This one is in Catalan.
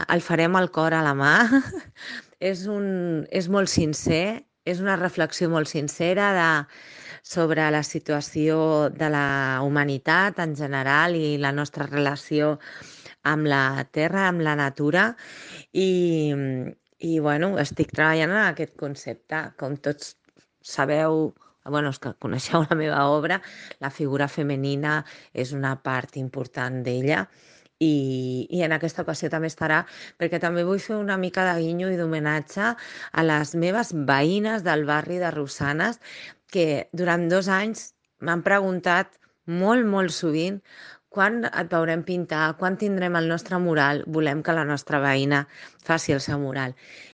el farem al cor a la mà. És molt sincer, és una reflexió molt sincera sobre la situació de la humanitat en general i la nostra relació amb la terra, amb la natura, i, i bueno, estic treballant en aquest concepte. Com tots sabeu, bueno, els que coneixeu la meva obra, la figura femenina és una part important d'ella, i en aquesta ocasió també estarà, perquè també vull fer una mica de guinyo i d'homenatge a les meves veïnes del barri de Rosanes, que durant 2 anys m'han preguntat molt, molt sovint quan et veurem pintar, quan tindrem el nostre mural, volem que la nostra veïna faci el seu mural.